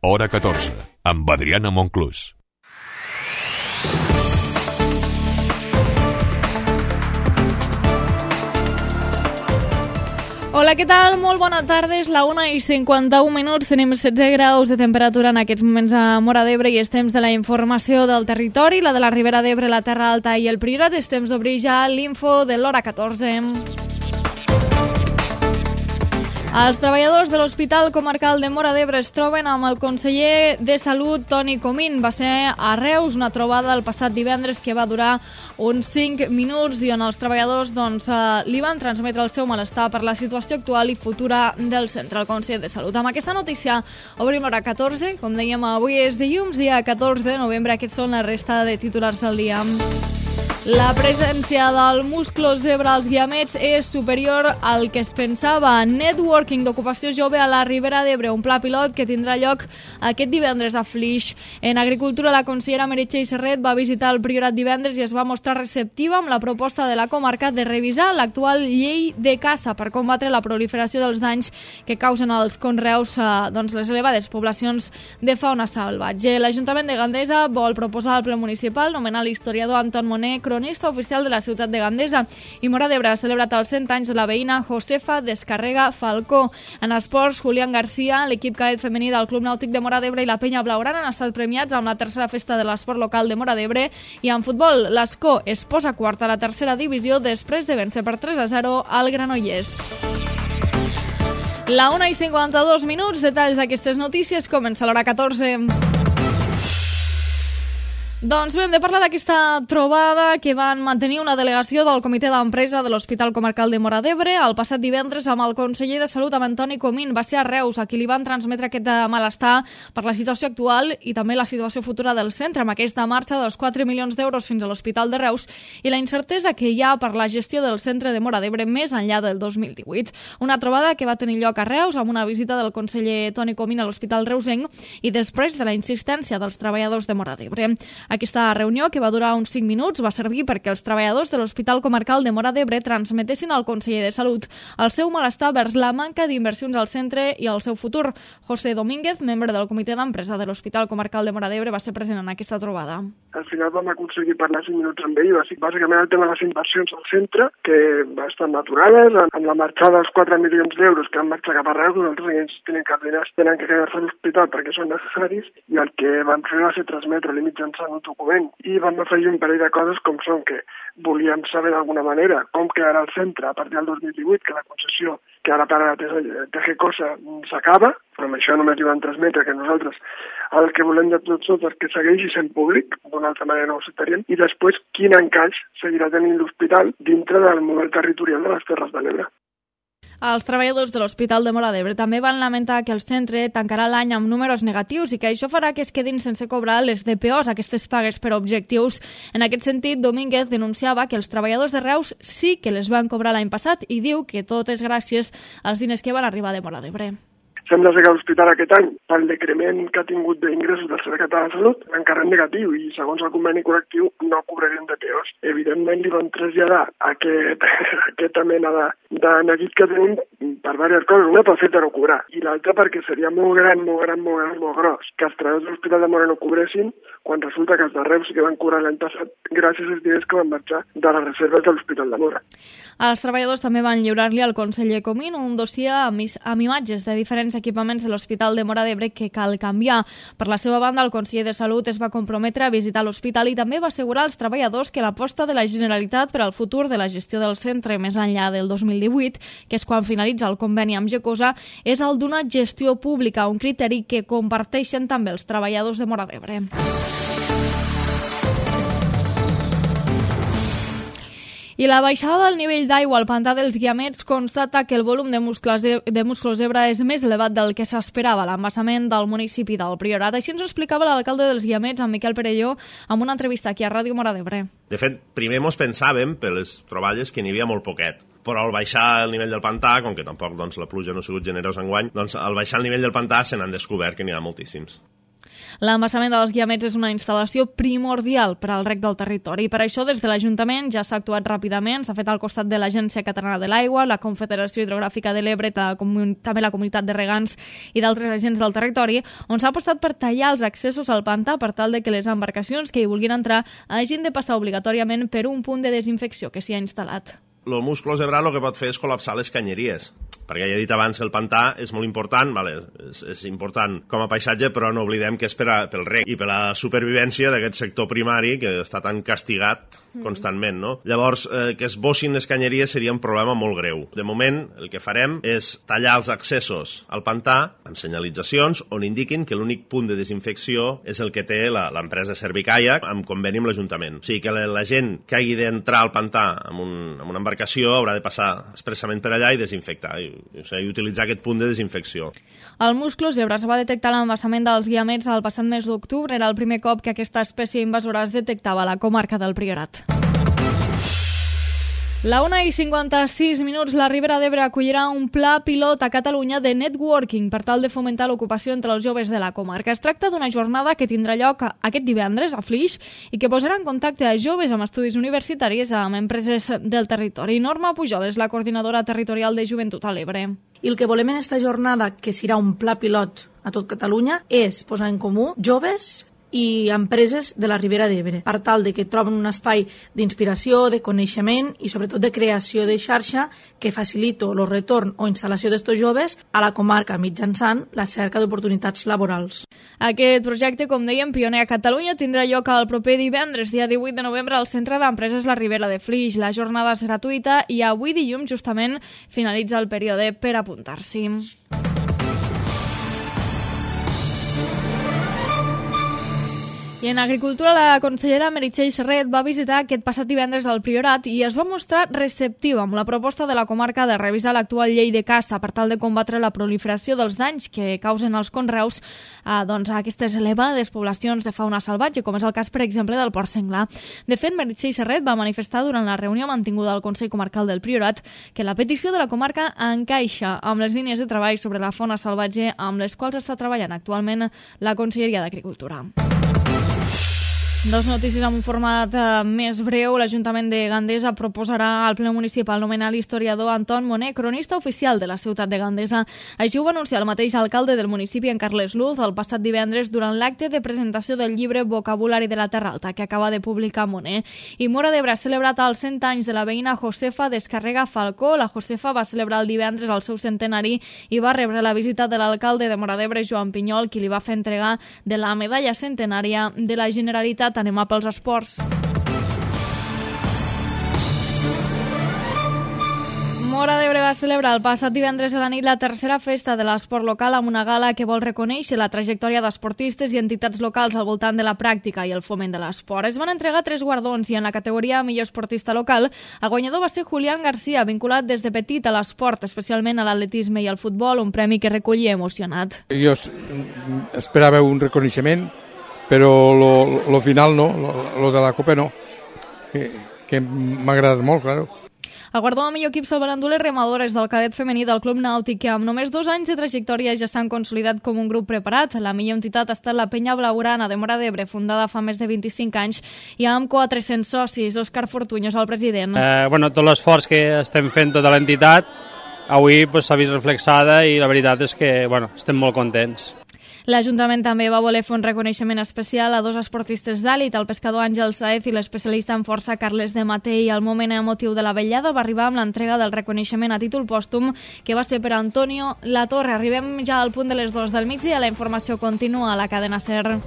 Hora 14, amb Adriana Monclús. Hola, què tal? Molt bona tarda, és la 1:51, tenim 16 graus de temperatura en aquests moments a Móra d'Ebre i és temps de la informació del territori, la de la Ribera d'Ebre, la Terra Alta i el Priorat. És temps d'obrir ja l'info de l'Hora 14. Els treballadors de l'Hospital Comarcal de Móra d'Ebre es troben amb el conseller de Salut, Toni Comín. Va ser a Reus una trobada el passat divendres que va durar uns 5 minuts i on els treballadors li van transmetre el seu malestar per la situació actual i futura del centre, el conseller de Salut. Amb aquesta notícia obrim l'Hora 14. Com dèiem, avui és dilluns, dia 14 de novembre. Aquests són la resta de titulars del dia. La presència del musclo zebra als guiamets és superior al que es pensava. Networking d'ocupació jove a la Ribera d'Ebre, un pla pilot que tindrà lloc aquest divendres a Flix. En Agricultura, la consellera Meritxell Serret va visitar el Priorat divendres i es va mostrar receptiva amb la proposta de la comarca de revisar l'actual llei de caça per combatre la proliferació dels danys que causen els conreus les elevades poblacions de fauna salvatge. L'Ajuntament de Gandesa vol proposar al ple municipal nomenar l'historiador Anton Moner cronista oficial de la ciutat de Gandesa, i Móra d'Ebre ha celebrat els 100 anys de la veïna Josefa Descarrega Falcó. En esports, Julián García, l'equip cadet femení del Club Nàutic de Móra d'Ebre i la Penya Blaugrana han estat premiats amb la tercera festa de l'esport local de Móra d'Ebre, i en futbol, l'Escó es posa quart a la tercera divisió després de vèncer per 3-0 al Granollers. La 1:52, detalls d'aquestes notícies, comença l'Hora 14. Doncs bé, hem de parlar d'aquesta trobada que van mantenir una delegació del Comitè d'Empresa de l'Hospital Comarcal de Móra d'Ebre el passat divendres amb el conseller de Salut, amb Toni Comín. Va ser a Reus, a qui li van transmetre aquest malestar per la situació actual i també la situació futura del centre, amb aquesta marxa dels 4 milions d'euros fins a l'Hospital de Reus i la incertesa que hi ha per la gestió del centre de Móra d'Ebre més enllà del 2018. Una trobada que va tenir lloc a Reus amb una visita del conseller Toni Comín a l'Hospital Reusenc i després de la insistència dels treballadors de Móra d'Ebre. Aquesta reunió, que va durar uns 5 minuts, va servir perquè els treballadors de l'Hospital Comarcal de Móra d'Ebre transmetessin al conseller de Salut el seu malestar vers la manca d'inversions al centre i al seu futur. José Domínguez, membre del Comitè d'Empresa de l'Hospital Comarcal de Móra d'Ebre, va ser present en aquesta trobada. Al final vam aconseguir parlar 5 minuts amb ell, bàsicament el tema de les inversions al centre, que estan aturades, amb la marxada dels 4 milions d'euros que han marxat cap a Reus, nosaltres ells tenen que quedar-se a l'hospital perquè són necessaris, i el que vam fer va ser transmetre-li mitjançant un document. I vam afegir un parell de coses com són que volíem saber d'alguna manera com quedarà el centre a partir del 2018, que la concessió que ara per ara Tejecosa s'acaba, però amb això només li van transmetre que nosaltres el que volem de tots és que segueixi sent públic, d'una altra manera no ho acceptaríem, i després quin encaix seguirà tenint l'hospital dintre del model territorial de les Terres de l'Ebre. Els treballadors de l'Hospital de Móra d'Ebre també van lamentar que el centre tancarà l'any amb números negatius i que això farà que es quedin sense cobrar les DPOs, aquestes pagues per objectius. En aquest sentit, Domínguez denunciava que els treballadors de Reus sí que les van cobrar l'any passat i diu que tot és gràcies als diners que van arribar de Móra d'Ebre. Sembla ser que l'hospital aquest any, pel decrement que ha tingut d'ingressos del Servei Català de Salut, encara en negatiu i, segons el conveni col·lectiu, no cobrarien DPOs. Evidentment, li van traslladar aquesta mena de neguit que tenim per diverses coses. Una, pel fet de no cobrar, i l'altra perquè seria molt gran, molt gros, que els treballadors de l'Hospital de Móra no cobressin, quan resulta que els de Reus sí que van cobrar l'any passat gràcies als diners que van marxar de les reserves de l'Hospital de Móra. Els treballadors també van lliurar-li al conseller Comín un dossier amb imatges de diferents equipaments de l'Hospital de Móra d'Ebre que cal canviar. Per la seva banda, el conseller de Salut es va comprometre a visitar l'hospital i també va assegurar als treballadors que l'aposta de la Generalitat per al futur de la gestió del centre més enllà del 2018, que és quan finalitza el conveni amb Gecosa, és el d'una gestió pública, un criteri que comparteixen també els treballadors de Móra d'Ebre. I la baixada del nivell d'aigua al pantà dels Guiamets constata que el volum de musclo zebra és més elevat del que s'esperava a l'embassament del municipi del Priorat. Així ens ho explicava l'alcalde dels Guiamets, en Miquel Perelló, amb una entrevista aquí a Ràdio Móra d'Ebre. De fet, primer mos pensàvem, per les troballes, que n'hi havia molt poquet. Però al baixar el nivell del pantà, com que tampoc la pluja no ha sigut generosa enguany, al baixar el nivell del pantà se n'han descobert que n'hi ha moltíssims. L'embassament dels Guiamets és una instal·lació primordial per al reg del territori. Per això, des de l'Ajuntament ja s'ha actuat ràpidament. S'ha fet al costat de l'Agència Catalana de l'Aigua, la Confederació Hidrogràfica de l'Ebre, també la Comunitat de Regants i d'altres agents del territori, on s'ha apostat per tallar els accessos al pantà per tal de que les embarcacions que hi vulguin entrar hagin de passar obligatòriament per un punt de desinfecció que s'hi ha instal·lat. El musclo zebrat el que pot fer és col·lapsar les canyeries, perquè ja he dit abans que el pantà és molt important, és important com a paisatge, però no oblidem que és pel reg i per la supervivència d'aquest sector primari que està tan castigat constantment, no? Llavors, que es bossin les canyeries seria un problema molt greu. De moment, el que farem és tallar els accessos al pantà amb senyalitzacions on indiquin que l'únic punt de desinfecció és el que té l'empresa Servicaiac amb conveni amb l'Ajuntament. O sigui, que la gent que hagi d'entrar al pantà amb una embarcació haurà de passar expressament per allà i desinfectar, i utilitzar aquest punt de desinfecció. El musclo zebra es va detectar a l'embassament dels Guiamets el passat mes d'octubre. Era el primer cop que aquesta espècie invasora es detectava a la comarca del Priorat. La 1:56, la Ribera d'Ebre acollirà un pla pilot a Catalunya de networking per tal de fomentar l'ocupació entre els joves de la comarca. Es tracta d'una jornada que tindrà lloc aquest divendres a Flix i que posarà en contacte a joves amb estudis universitaris amb empreses del territori. Norma Pujol és la coordinadora territorial de Joventut a l'Ebre. I el que volem en aquesta jornada, que serà un pla pilot a tot Catalunya, és posar en comú joves i empreses de la Ribera d'Ebre, per tal de que troben un espai d'inspiració, de coneixement i sobretot de creació de xarxa que faciliti el retorn o instal·lació d'estos joves a la comarca mitjançant la cerca d'oportunitats laborals. Aquest projecte, com dèiem, pioner a Catalunya, tindrà lloc el proper divendres, dia 18 de novembre, al Centre d'Empreses La Ribera de Flix. La jornada és gratuïta i avui dilluns justament finalitza el període per apuntar-s'hi. I en Agricultura, la consellera Meritxell Serret va visitar aquest passat divendres al Priorat i es va mostrar receptiva amb la proposta de la comarca de revisar l'actual llei de caça per tal de combatre la proliferació dels danys que causen els conreus a aquestes elevades poblacions de fauna salvatge, com és el cas, per exemple, del porc senglar. De fet, Meritxell Serret va manifestar durant la reunió mantinguda al Consell Comarcal del Priorat que la petició de la comarca encaixa amb les línies de treball sobre la fauna salvatge amb les quals està treballant actualment la Conselleria d'Agricultura. Dos notícies amb un format més breu. L'Ajuntament de Gandesa proposarà al ple municipal nomenar l'historiador Anton Moner cronista oficial de la ciutat de Gandesa. Així ho va anunciar el mateix alcalde del municipi, en Carles Luz, el passat divendres durant l'acte de presentació del llibre Vocabulari de la Terra Alta que acaba de publicar Moner. I Móra d'Ebre ha celebrat els 100 anys de la veïna Josefa Descarrega Falcó. La Josefa va celebrar el divendres el seu centenari i va rebre la visita de l'alcalde de Móra d'Ebre, Joan Pinyol, qui li va fer entregar de la medalla centenària de la Generalitat. Anem a pels esports. Móra d'Ebre va celebrar el passat divendres a la nit la tercera festa de l'esport local amb una gala que vol reconèixer la trajectòria d'esportistes i entitats locals al voltant de la pràctica i el foment de l'esport. Es van entregar 3 guardons i en la categoria millor esportista local el guanyador va ser Julián García, vinculat des de petit a l'esport, especialment a l'atletisme i al futbol, un premi que recollia emocionat. Jo esperava un reconeixement, però lo final no, lo de la Copa no, que m'ha agradat molt, claro. El guardó de millor equip salvaran les remadores del cadet femení del Club Nàutic, que amb només 2 anys de trajectòria ja s'han consolidat com un grup preparat. La millor entitat ha estat la Penya Blaugrana de Móra d'Ebre, fundada fa més de 25 anys i amb 400 socis. Òscar Fortuño és el president. Tot l'esforç que estem fent tota l'entitat avui s'ha vist reflexada i la veritat és que estem molt contents. L'Ajuntament també va voler fer un reconeixement especial a 2 esportistes d'èlit, el pescador Àngel Saez i l'especialista en força Carles de Matei. El moment emotiu de la vetllada va arribar amb l'entrega del reconeixement a títol pòstum, que va ser per Antonio Latorre. Arribem ja al punt de les 2 del migdia. La informació continua a la cadena SER.